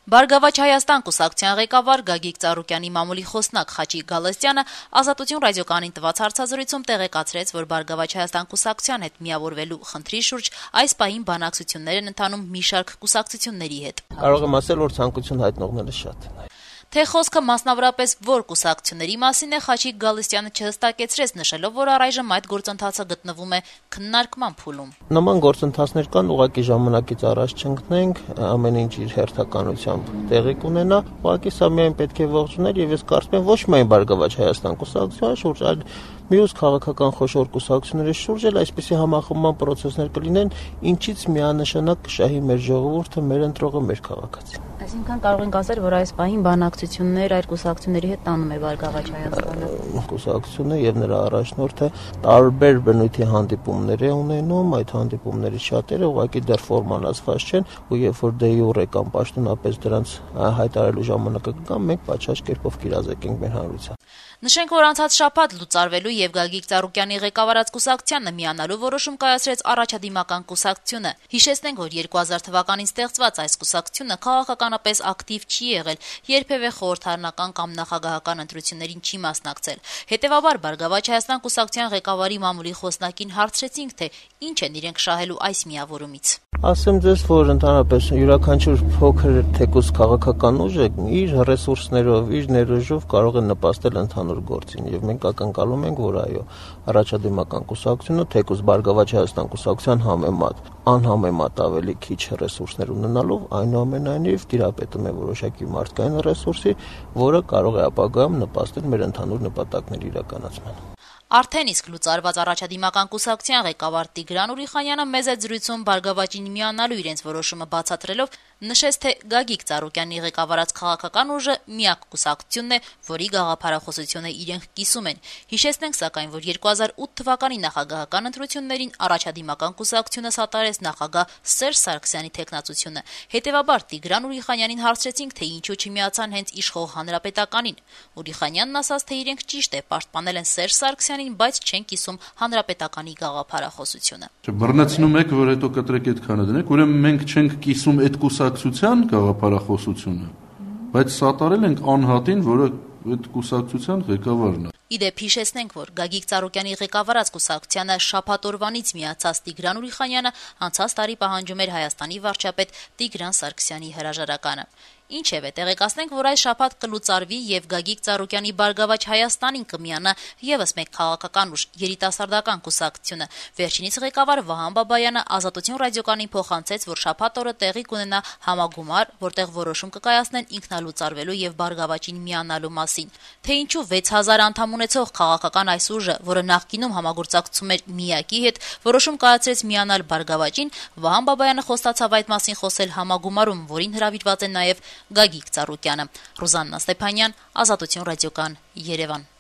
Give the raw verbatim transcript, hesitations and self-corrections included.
Բարգավաճ Հայաստան կուսակցության ղեկավար Գագիկ Ծառուկյանի մամուլի խոսնակ Խաչիկ Գալստյանը «Ազատություն» ռադիոկայանին տված հարցազրույցում տեղեկացրեց, որ Բարգավաճ Հայաստան կուսակցության հետ միավորվելու խնդրի շուրջ այս պահին բանակցություններ են ընթանում մի շարք կուսակցությունների հետ։ Կարող եմ ասել, որ ցանկություն հայտնողները շատ են։ Թե խոսքը մասնավորապես որ կուսակցությունների մասին է, Խաչիկ Գալստյանը չհստակեցրեց, նշելով, որ առայժմ այդ գործընթացը գտնվում է քննարկման փուլում։ Նման գործընթացներ կան, ուղղակի ժամանակից առաջ չընկնենք, ամեն ինչ իր հերթականությամբ տեղի կունենա, ուղղակի սա միայն պետք է ողջունել եւ ես կարծում եմ ոչ միայն Բարգավաճ Հայաստան կուսակցության շուրջ, այլ մյուս քաղաքական խոշոր կուսակցությունների շուրջ էլ այսպիսի համախմբման process-ներ կլինեն, ինչից միանշանակ կշահի մեր ժողովուրդը, մեր ընտրողը, մեր քաղաքացին։ Այսինքն կարող ենք ասել, որ այս պահին բանակցություններ այդ կուսակցությունների հետ տանում է Բարգավաճ Հայաստանը։ Կուսակցությունը եւ նրա առաջնորդը տարբեր բնույթի հանդիպումներ է ունենում, այդ հանդիպումների շատերը ուղղակի դեռ ֆորմալացված չեն, ու երբ որ դե յուրե կամ պաշտոնապես դրանց հայտարարելու ժամանակը կգա, մենք պատշաճ կերպով կիրազեկենք մեր հանրության։ Նշենք, որ անցած շաբաթ լուծարվելու եւ Գագիկ Ծառուկյանի ղեկավարած կուսակցությանը միանալու որոշում կայացրեց առաջադիմական կուսակցությունը։ Հիշեցնենք, որ երկու հազար թվականին ստեղծված այս կուսակցությունը քաղաքականապես ակտիվ չի եղել, երբևէ խորհրդարանական կամ նախագահական ընտրություններին չի մասնակցել։ Հետևաբար Բարգավաճ Հայաստան կուսակցության ղեկավարի մամուլի խոսնակին հարցրեցինք, թե ինչ են իրենք շահելու այս միավորումից։ Ասեմ ձեզ, որ ընդհանրապես յուրաքանչյուր փոքր թեկուզ քաղաքական ուժը իր ռեսուրսներով, իր ներուժով կարող է նպաստել ընդհանուր գործին եւ մենք ակնկալում ենք, որ այո, առաջադիմական կուսակցությունը թեկուզ Բարգավաճ Հայաստան կուսակցության համեմատ անհամեմատ ավելի քիչ ռեսուրսներ ունենալով այնուամենայնիվ տիրապետում է որոշակի մարդկային ռեսուրսի, որը կարող է ապագայում նպաստել մեր ընդհանուր նպատակների իրականացմանը։ Արդեն իսկ լուծարված առաջադիմական կուսակցության ղեկավար Տիգրան Ուրիխանյանը մեծ զրույցում Բարգավաճին միանալու իրենց որոշումը բացատրելով նշեց, թե Գագիկ Ծառուկյանի ղեկավարած քաղաքական ուժը միակ կուսակցությունն է, որի գաղափարախոսությունը իրենք կիսում են։ Հիշեցնենք սակայն, որ երկու հազար ութ թվականի նախագահական ընտրություններին առաջադիմական կուսակցությունը սատարեց նախագահ Սերժ Սարգսյանի թեկնածությունը։ Հետևաբար Տիգրան Ուրիխանյանին հարցրեցինք, թե ինչու չմիացան հենց իշխող հանրապետականին։ Ուրիխանյանն ասաց, թե իրենք ճիշտ է պաշտպանել են Սերժ Սարգսյանին, բայց չեն կիսում հանրապետականի գաղափարախոսությունը։ Բռնեցնում եք, որ հետո կտրեք այդքանը դնեք, ուրեմն մենք չենք կիսում այդ կուսակցության գաղափարախոսությունը, բայց սատարել ենք անհատին, որը այդ կուսակցության ղեկավարն է։ Իդեպ հիշեցնենք, որ Գագիկ Ծառուկյանի ղեկավարած կուսակցությանը շաբաթ օրվանից միացած Տիգրան Ուրիխանյանը անցած տարի պահանջում էր Հայաստանի վարչապետ Տիգրան Սարգսյանի հրաժարականը։ Ինչևէ, տեղեկացնենք, որ այս շաբաթ կլուծարվի եւ Գագիկ Ծառուկյանի Բարգավաճ Հայաստանին կմիանա եւս մեկ քաղաքական ուժ՝ երիտասարդական կուսակցությունը։ Վերջինիս ղեկավար Վահան Բաբայանը «Ազատություն» ռադիոկայանին փոխանցեց, որ շաբաթ օրը տեղի կունենա համագումար, որտեղ որոշում կկայացնեն ինքնալուծարվելու եւ Բարգավաճին միանալու մասին։ Թե ինչու վեց հազար անդամ ունեցող քաղաքական այս ուժը, որը նախկինում համագործակցում էր Միակի հետ, որոշում կայացրեց միանալ Բարգավաճին, Վահան Բաբայանը խոստացավ այդ մասին խոսել համագումարում, որին հրավիրված է նաեւ Գագիկ Ծառուկյանը։ Ռուզաննա Ստեփանյան, Ազատություն ռադիոկայան, Երևան։